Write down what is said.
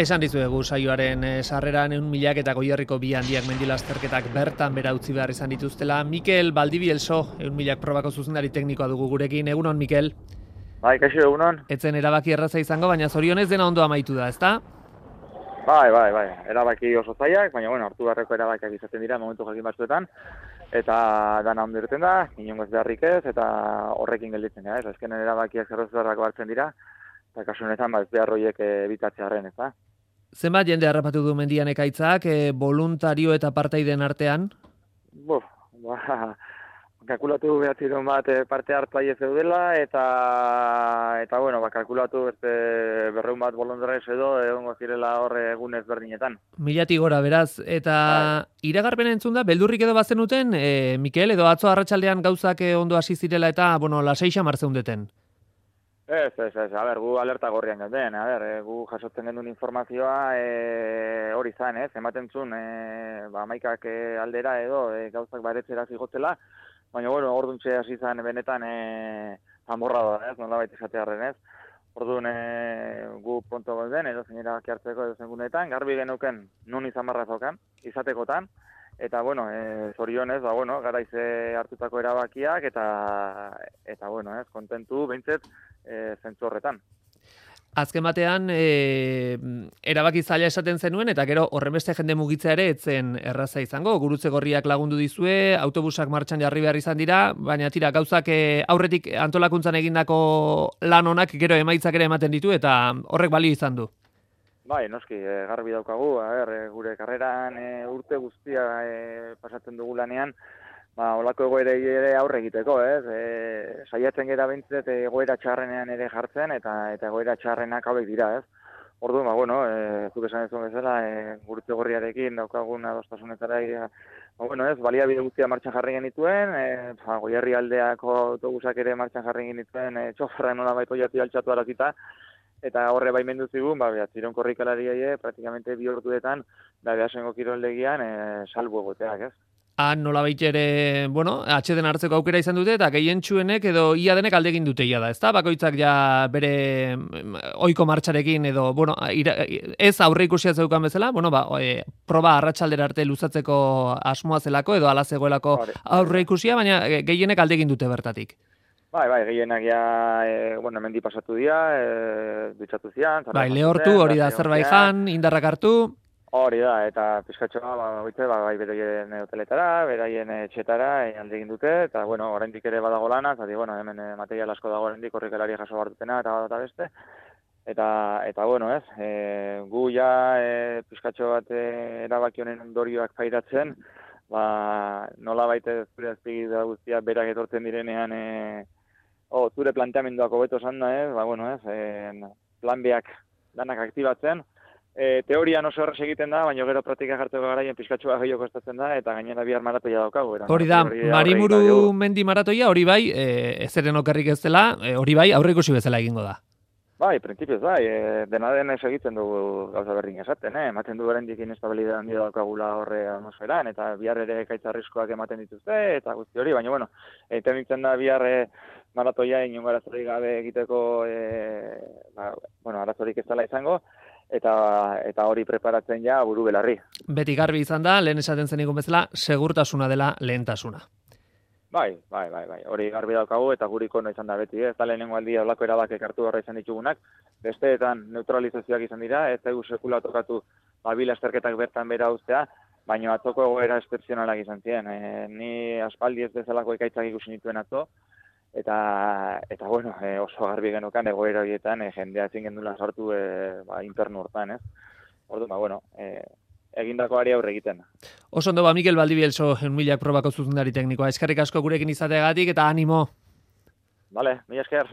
Esan dizuegu saioaren sarreran 100.000 eta Goierriko bi handiak mendilasterketak bertan bera utzi behar izan dituztela. Mikel Baldibielso, 100.000 probako zuzendari teknikoa dugu gurekin. Egunon, Mikel? Bai, kaixo, egunon. Etzen erabaki erraza izango, baina zorionez dena ondo amaitu da, ezta? Bai, erabaki oso zaiak, baina hartu beharreko erabakiak izaten dira momentu jakin batzuetan, eta dana ondo irten da, inongo ez beharrik ez, eta horrekin gelditzen da, ez? Azkenen erabakiak zerrozerrako hartzen dira, eta kasu honetan ez behar horiek ebitatzearen, ez da? Zenbat jende harrapatu du mendian ekaitzak, voluntario eta partaideen artean? Kalkulatu behatziron bat parte hartzaile zeudela, eta kalkulatu beste 200 bat bolondrez edo egongo zirela horre egun ezberdinetan. 1000 gora, beraz, eta iragarpena entzun da, beldurrik edo bazenuten, Mikel, edo atzo arratsaldean gauzak ondo hasi zirela eta, lasei xamar zeundeten? Ez, gu alerta gorrian gauden, gu jasotzen genuen informazioa hori zan, ematen zuen, maikak aldera edo gauzak baretzera zigotzela, baina, orduntxe hasi zan benetan amorra da, nolabait esatearren, ez? Orduan gu ponto gauden, edo zen erabaki hartzeko edo zen gunetan, garbi genuken nun izan barrazokan, izatekotan, eta, zorionez, garaize hartutako erabakiak, eta kontentu, behintzet, zentzu horretan. Azken batean, erabaki zaila esaten zenuen, eta gero horrenbeste jende mugitzea ere etzen erraza izango. Gurutze Gorriak lagundu dizue, autobusak martxan jarri behar izan dira, baina tira, gauzak aurretik antolakuntzan egindako lan honak gero emaitzak ere ematen ditu, eta horrek balio izan du. Bai, noski, garbi daukagu, gure karreran urte guztia pasatzen dugu lanean, olako egoerei ere aurre egiteko, saiatzen gara bintzet egoera txarrenean ere jartzen, eta egoera txarrenak hauek dira, ez? Orduan, zuk esan ez bezala, Gurutze Gorriarekin daukagun adostasunetara, baliabide guztia martxan jarri genituen, Goierri aldeako autobusak ere martxan jarri genituen, txoferra nolabait oiati altxatu arazita, eta horre baimendu zigun, ziron korrikalariei praktikamente 2 orduetan, behasengo kiroldegian salbu egoteak, ez? Nolabait ere, atxeden hartzeko aukera izan dute, eta gehientsuenek edo ia denek alde egin dute ia da, ezta? Bakoitzak ja bere ohiko martxarekin edo, ez aurre ikusia zeukan bezala, proba arratsaldera arte luzatzeko asmoa zelako edo ala zegoelako aurre ikusia, baina gehienek alde egin dute bertatik. Bai, gehienak ja, hemendi pasatu dira, dutxatu zian. Lehortu, hori da Azerbaijan, indarrak hartu. Hori da, eta pizkatxoa, bai beraien hoteletara, beraien etxetara alde egin dute, eta, oraindik ere badago lana, zati, hemen material asko dago oraindik korrikalari jaso bartutena, eta beste. Eta gu ja pizkatxo bat erabaki honen ondorioak pairatzen, nola baita zure azpigida guztia berak etortzen direnean, zure planteamenduak hobeto esan da, plan beak danak aktibatzen, teorian oso horrez egiten da, baina gero praktika jartzeko garaien pizkatxoa gehiago kostatzen da, eta gainera bihar maratoia daukagu. Hori da, Marimuru mendi maratoia, hori bai, ezeren okerrik ez dela, hori bai, aurre ikusi bezala egingo da. Bai, printzipioz bai, dena denez egiten dugu gauza berdin esaten, ematen du berendik inestabilidade handia daukagula horre atmosferan, eta bihar ere ekaitz arriskoak ematen dituzte, eta guzti hori, baina egiten ditzen da bihar maratoia inongo arazorik gabe egiteko, arazorik ez dela izango, eta hori preparatzen ja buru belarri. Beti garbi izan da, lehen esaten zen bezala, segurtasuna dela lehentasuna. Bai, hori garbi daukagu eta guri kono izan da beti, ez da lehenengo aldia olako erabakek hartu horra izan ditugunak, besteetan neutralizazioak izan dira, ez da sekula tokatu lasterketak bertan bera ustea, baina atzoko egoera excepzionalak izan ziren. Ni aspaldi ez bezalako ekaitzak ikusi nituen atzo, eta oso garbi genukan egoera horietan jendea ezin gendula sartu internu hortan, ez? Orduan, egindako ari aurre egiten. Oso ondo Mikel Baldibielso 100.000 probako zuzendari teknikoa. Eskerrik asko gurekin izateagatik eta animo. Vale, mila esker.